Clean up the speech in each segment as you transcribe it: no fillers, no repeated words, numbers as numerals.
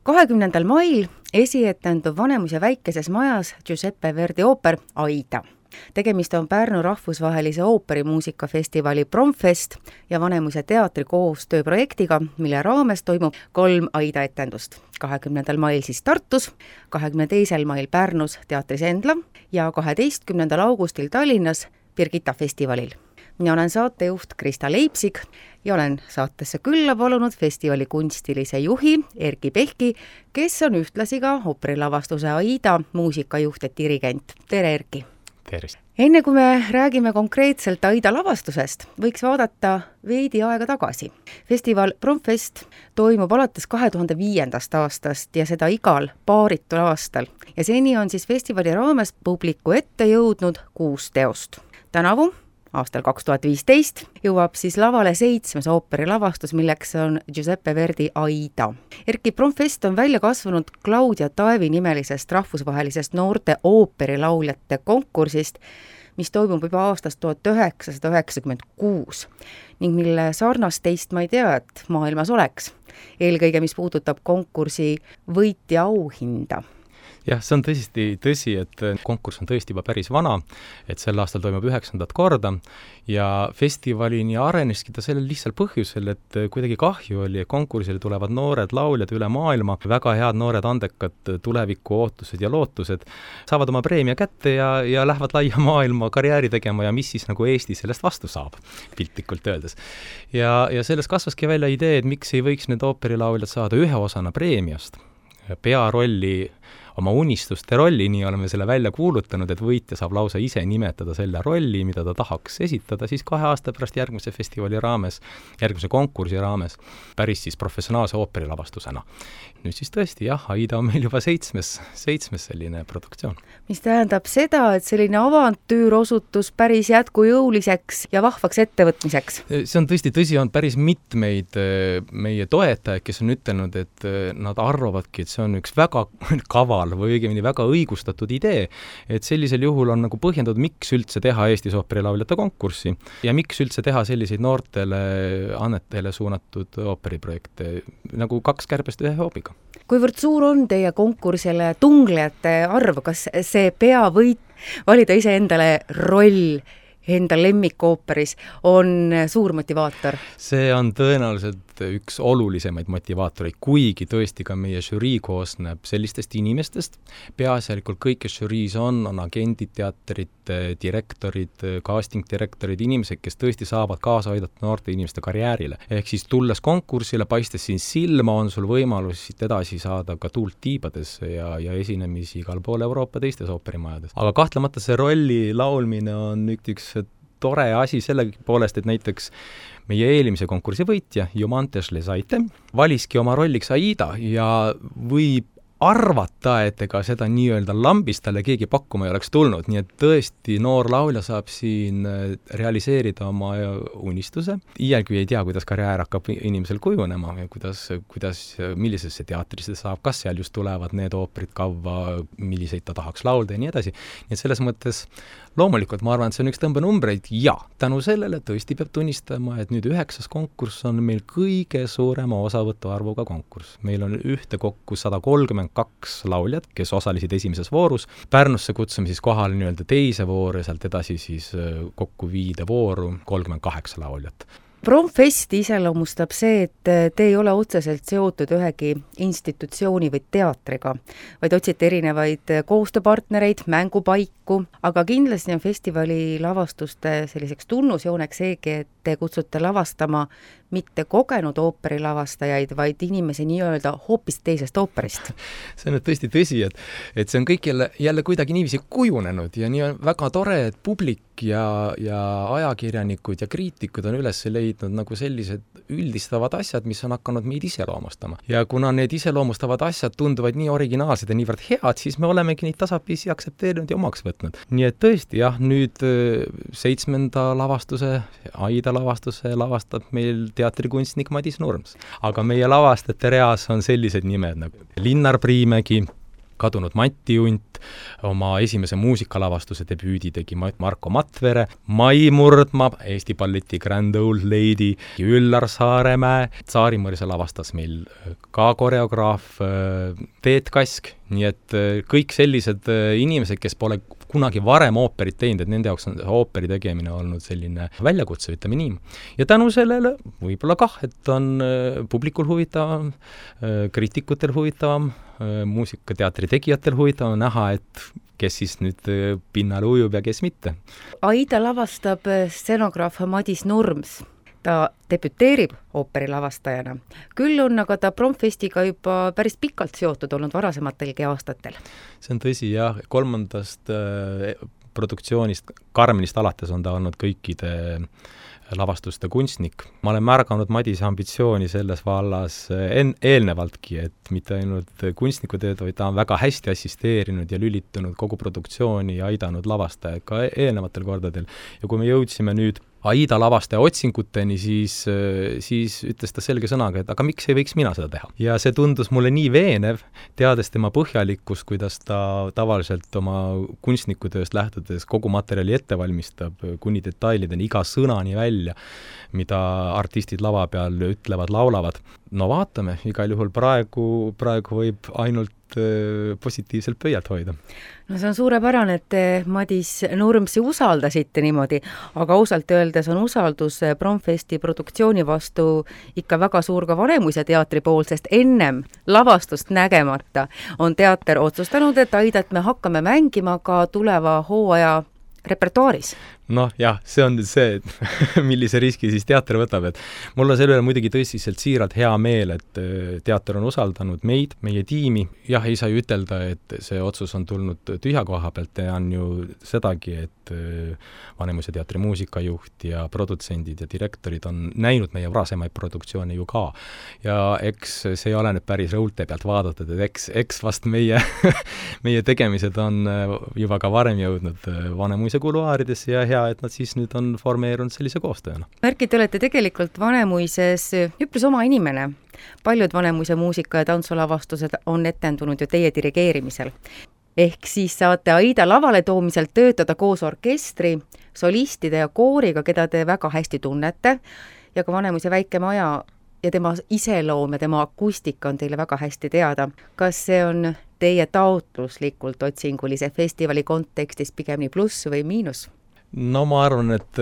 20. mail esietendub Vanemuise väikeses majas Giuseppe Verdi ooper Aida. Tegemist on Pärnu rahvusvahelise ooperimuusikafestivali Promfest ja Vanemuise teatri koostööprojektiga, mille raames toimub 3 Aida etendust. 20. mail siis Tartus, 22. mail Pärnus teatris Endla ja 12. augustil Tallinnas Birgitta festivalil. Mina olen saatejuht Krista Leipzig ja olen saatesse külla palunud festivali kunstilise juhi Erki Pehki, kes on ühtlasi ka ooperilavastuse Aida muusikajuht ja dirigent. Tere, Erki! Tervist! Enne kui me räägime konkreetselt Aida lavastusest, võiks vaadata veidi aega tagasi. Festival Promfest toimub alates 2005. aastast ja seda igal paaritul aastal. Ja seni on siis festivali raames publiku ette jõudnud 6 teost. Tänavu, aastal 2015, jõuab siis lavale 7. ooperilavastus, milleks on Giuseppe Verdi Aida. Erki, Promfest on välja kasvanud Claudia Taevi nimelisest rahvusvahelisest noorte ooperilauljate konkursist, mis toimub juba aastast 1996 ning mille sarnast teist ma ei tea, et maailmas oleks. Eelkõige, mis puudutab konkursi võitja auhinda. Jah, see on tõsi, et konkurss on tõesti juba päris vana, et sel aastal toimub 9. korda ja festivalini areneski ta sellel lihtsal põhjusel, et kuidagi kahju oli, et konkursile tulevad noored lauljad üle maailma, väga head noored andekad tuleviku ootused ja lootused, saavad oma preemia kätte ja lähevad laia maailma karjääri tegema ja mis siis nagu Eesti sellest vastu saab, piltlikult öeldes. Ja sellest kasvaski välja idee, et miks ei võiks need ooperilauljad saada ühe osana preemiast, pearolli, oma unistuste rolli, nii oleme selle välja kuulutanud, et võitja saab lausa ise nimetada selle rolli, mida ta tahaks esitada siis 2 aasta pärast järgmise festivali raames, järgmise konkursi raames, päris siis professionaalse ooperilavastusena. Nüüd siis tõesti, jah, Aida on meil juba 7. selline produktsioon. Mis tähendab seda, et selline avantüür osutus päris jätkujõuliseks ja vahvaks ettevõtmiseks? See on tõsi, on päris mitmeid meie toetajaid, kes on ütelnud, et nad arvavadki, et see on üks väga kaval või õigemini väga õigustatud idee, et sellisel juhul on nagu põhjendatud, miks üldse teha Eestis ooperilauljate konkurssi ja miks üldse teha selliseid noortele annetele suunatud ooperiprojekte, nagu 2 kärbest 1 hoobiga. Kuivõrd suur on teie konkursile tunglejate arv? Kas see peavõit valida ise endale roll enda lemmikooperis on suur motivaator? See on tõenäoliselt üks olulisemaid motivaatoreid, kuigi tõesti ka meie žürii koosneb sellistest inimestest. Peaasjalikult kõik, kes žüriis on agendid, teatrid, direktorid, casting-direktorid, inimesed, kes tõesti saavad kaasa aidata noorte inimeste karjäärile. Ehk siis tulles konkursile, paistes siin silma, on sul võimalus siit edasi saada ka tuult tiibades ja esinemisi igal pool Euroopa teistes ooperimajades. Aga kahtlemata see rolli laulmine on üks tore asi selle poolest, et näiteks meie eelmise konkursi võitja, Jumantes Lesaite, valiski oma rolliks Aida ja võib arvata, et ega seda nii-öelda lambist talle keegi pakkuma ei oleks tulnud, nii et tõesti noor laulja saab siin realiseerida oma unistuse. Iialgi ei tea, kuidas karjäär hakkab inimesel kujunema ja millisesse teatrisse saab, kas seal just tulevad need ooperid kavva, milliseid ta tahaks laulda ja nii edasi. Nii et selles mõttes loomulikult ma arvan, et see on üks tõmbenumbreid ja tänu sellele tõesti peab tunnistama, et nüüd 9. konkurss on meil kõige suurema osavõtu arvuga konkurss. Meil on ühtekokku 132 lauljad, kes osalesid esimeses voorus. Pärnusse kutsume siis kohale nii-öelda teise vooru ja sealt edasi siis kokku 5 vooru, 38 lauljat. Promfest iseloomustab see, et te ei ole otseselt seotud ühegi institutsiooni või teatriga, vaid otsite erinevaid koostööpartnereid, mängupaiku, aga kindlasti on festivali lavastuste selliseks tunnusjooneks seegi, et te kutsute lavastama mitte kogenud ooperilavastajaid, vaid inimesi nii-öelda hoopis teisest ooperist. See on tõesti tõsi, et see on kõik jälle kuidagi niiviisi kujunenud ja nii on väga tore, et publik ja ajakirjanikud ja kriitikud on üles leidnud nagu sellised üldistavad asjad, mis on hakanud meid iseloomustama. Ja kuna need iseloomustavad asjad tunduvad nii originaalsed ja niivõrd head, siis me olemegi neid tasapisi aktsepteerinud ja omaks võtnud. Nii et tõesti, jah, nüüd 7. lavastuse, Aida lavastuse lavastab meil teatrikunstnik Madis Nurms. Aga meie lavastajate reas on sellised nimed nagu Linnar Priimägi, kadunud Mati Unt, oma esimese muusikalavastuse debüüdi tegi Marko Matvere, Mai Murdma, Eesti balleti Grand Old Lady, Üllar Saaremäe, Tsaari-Mõrsa lavastas meil ka koreograaf Teet Kask, nii et kõik sellised inimesed, kes pole kunagi varem ooperit teinud, et nende jaoks on ooperi tegemine olnud selline väljakutse, ütleme nii. Ja tänu sellele võib-olla kah, et on publikul huvitavam, kriitikutel huvitavam, muusikateatri tegijatel huvitavam näha, et kes siis nüüd pinnal ujub ja kes mitte. Aida lavastab scenograaf Madis Nurms. Ta debüteerib ooperilavastajana. Küll on aga ta Promfestiga juba päris pikalt seotud olnud varasematelgi aastatel. See on tõsi, jah. 3. produktsioonist, Karmenist alates on ta olnud kõikide lavastuste kunstnik. Ma olen märganud Madise ambitsiooni selles vallas eelnevaltki, et mitte ainult kunstnikutööd, vaid ta on väga hästi assisteerinud ja lülitunud kogu produktsiooni ja aidanud lavastajaid ka eelnevatel kordadel. Ja kui me jõudsime nüüd Aida lavastaja otsinguteni, siis ütles ta selge sõnaga, et aga miks ei võiks mina seda teha. Ja see tundus mulle nii veenev, teades tema põhjalikkust, kuidas ta tavaliselt oma kunstnikutööst lähtudes kogu materjali ette valmistab kuni detailideni, iga sõnani välja, mida artistid lava peal ütlevad, laulavad. No vaatame, igal juhul praegu võib ainult positiivselt pöialt hoida. No see on suurepärane, et te Madis Nurmsi usaldasite niimoodi, aga ausalt öeldes on usaldus Promfesti produktsiooni vastu ikka väga suur ka Vanemuise teatri pool, sest ennem lavastust nägemata on teater otsustanud, et Aidat me hakkame mängima ka tuleva hooaja repertuaaris. Noh, jah, see on nüüd see, millise riski siis teater võtab, et mul on selle üle muidugi tõsiselt siiralt hea meel, et teater on usaldanud meid, meie tiimi. Jah, ei saa ju ütelda, et see otsus on tulnud tühja koha pealt, tean ju sedagi, et Vanemuise teatri muusikajuht ja produtsendid ja direktorid on näinud meie varasemaid produktsioone ju ka. Ja eks see ei ole nüüd päris rõulte pealt vaadatud, et eks vast meie, meie tegemised on juba ka varem jõudnud Vanemuise kuluaaridesse ja hea, et nad siis nüüd on formeerunud sellise koostööna. Märki, te olete tegelikult Vanemuises üpris oma inimene. Paljud Vanemuise muusika- ja tantsulavastused on etendunud ju teie dirigeerimisel. Ehk siis saate Aida lavale toomisel töötada koos orkestri, solistide ja kooriga, keda te väga hästi tunnete, ja ka Vanemuise väike maja ja tema iseloom ja tema akustika on teile väga hästi teada. Kas see on teie taotluslikult otsingulise festivali kontekstis pigem nii pluss või miinus? No ma arvan, et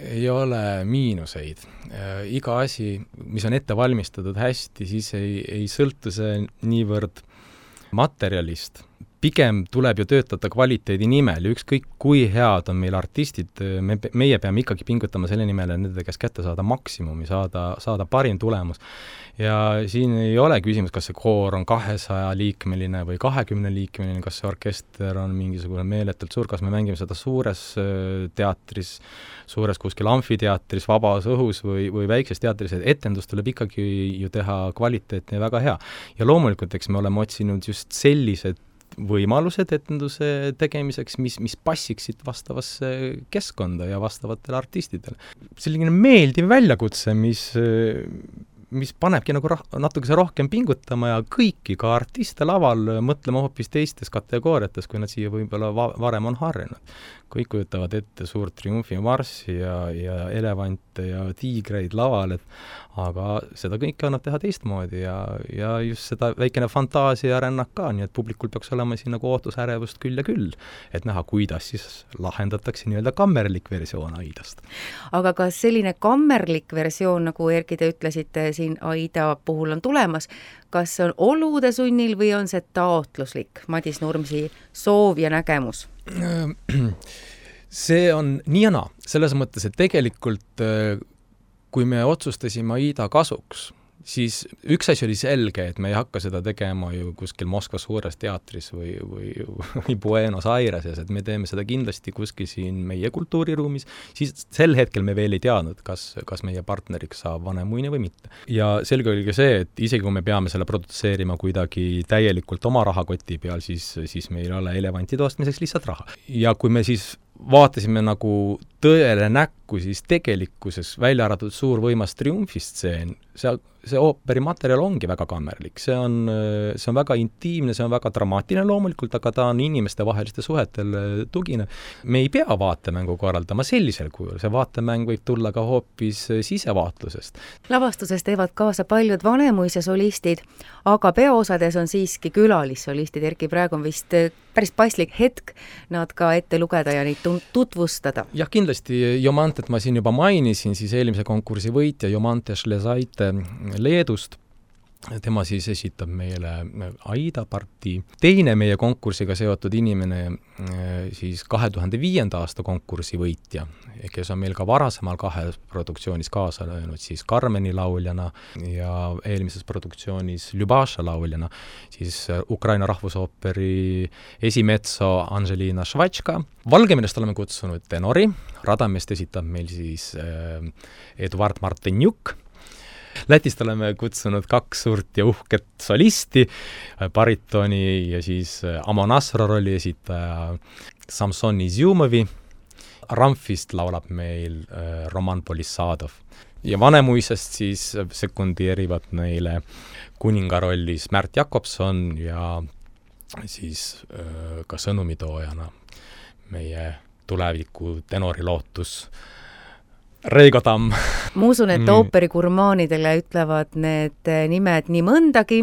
ei ole miinuseid. Iga asi, mis on ette valmistatud hästi, siis ei sõltu see niivõrd materjalist. Pigem tuleb ju töötada kvaliteedi nimel ja ükskõik kui head on meil artistid, meie peame ikkagi pingutama selle nimel, et nende käest kätte saada maksimumi, saada parim tulemus. Ja siin ei ole küsimus, kas see koor on 200-liikmeline või 20-liikmeline, kas see orkester on mingisugune meeletult suur, kas me mängime seda suures teatris, suures kuskil amfiteatris, vabas õhus või väikses teatris, et etendus tuleb ikkagi ju teha kvaliteetne ja väga hea. Ja loomulikult, eks me oleme otsinud just sellised võimalused etenduse tegemiseks, mis passiksid vastavasse keskkonda ja vastavatele artistidele. Selline meeldiv väljakutse, mis panebki nagu natukese rohkem pingutama ja kõiki ka artiste laval mõtlema hoopis teistes kategooriates, kui nad siia võib-olla varem on harjunud. Kõik kujutavad ette suurt triumfimarssi ja elevante ja tiigreid laval, aga seda kõike annab teha teistmoodi ja just seda väikene fantaasia rännak ka, nii et publikul peaks olema siin nagu ootusärevust küll ja küll, et näha, kuidas siis lahendatakse nii-öelda kammerlik versioon Aidast. Aga kas selline kammerlik versioon, nagu Erki te ütlesite, siin Aida puhul on tulemas, kas see on olude sunnil või on see taotluslik Madis Nurmsi soov ja nägemus? See on nii ja naa, selles mõttes, et tegelikult kui me otsustasime Aida kasuks, siis üks asi oli selge, et me ei hakka seda tegema ju kuskil Moskva suures teatris või Buenos Aireses, et me teeme seda kindlasti kuskil siin meie kultuuriruumis, siis sel hetkel me veel ei teadnud, kas meie partneriks saab Vanemuine või mitte. Ja selge oli ka see, et isegi kui me peame selle produtseerima kuidagi täielikult oma rahakoti peal, siis meil ei ole elevanti toostmiseks lihtsalt raha. Ja kui me siis vaatasime nagu tõele näkku siis tegelikkuses, välja arvatud suur võimas triumfistseen, see ooperi materjal ongi väga kammerlik, see on väga intiimne, see on väga dramaatiline loomulikult, aga ta on inimeste vaheliste suhetel tugine. Me ei pea vaatemängu korraldama sellisel kujul, see vaatemäng võib tulla ka hoopis sisevaatlusest. Lavastuses teevad kaasa paljud Vanemuise solistid, aga peaosades on siiski külalissolistid. Erki, praegu on vist päris paslik hetk nad ka ette lugeda ja neid tutvustada. Jah, kindlasti Jomantet ma siin juba mainisin, siis eelmise konkursi võitja Jomante Šlesaite Leedust. Tema siis esitab meile Aida partii. Teine meie konkursiga seotud inimene, siis 2005. aasta konkursi võitja, kes on meil ka varasemal 2 produktsioonis kaasa löönud, siis Carmeni lauljana ja eelmises produktsioonis Ljubaša lauljana, siis Ukraina rahvusooperi esimetso Anželina Švačka. Valgevenest oleme kutsunud tenori, Radamest esitab meil siis Eduard Martenjuk. Lätist oleme kutsunud 2 suurt ja uhket solisti, baritoni ja siis Amonasro rolli esitaja Samson Izjumovi. Ramfist laulab meil Roman Polissadov. Ja Vanemuisest siis sekundeerivad neile kuninga rollis Märt Jakobson ja siis ka sõnumitoojana meie tuleviku tenorilootus Reigo Tamm. Ma usun, et ooperigurmaanidele ütlevad need nimed nii mõndagi.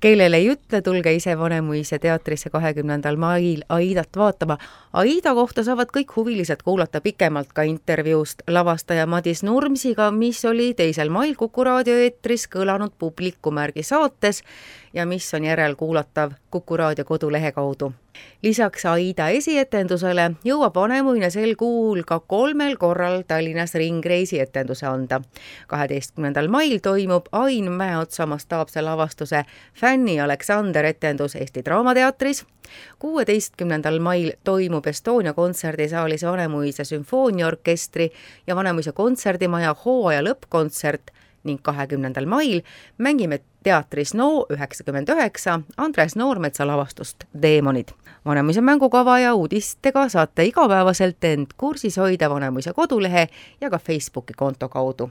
Kellele ei ütle, tulge ise Vanemuise teatrisse 20. mail Aidat vaatama. Aida kohta saavad kõik huvilised kuulata pikemalt ka intervjuust lavastaja Madis Nurmsiga, mis oli 2. mail Kuku raadio eetris kõlanud Publikumärgi saates ja mis on järelkuulatav Kuku raadio kodulehe kaudu. Lisaks Aida esietendusele jõuab Vanemuine sel kuul ka 3 korral Tallinnas ringreisi etenduse anda. 12. mail toimub Ain Mäeotsa mastaapse lavastuse Fänni Aleksander etendus Eesti Draamateatris. 16. mail toimub Estonia kontserdisaalis Vanemuise sümfooniaorkestri ja Vanemuise kontserdimaja hooaja lõppkontsert ning 20. mail mängime teatris No 99 Andres Noormetsa lavastust Deemonid. Vanemuise mängukava ja uudistega saate igapäevaselt end kursis hoida Vanemuise kodulehe ja ka Facebooki konto kaudu.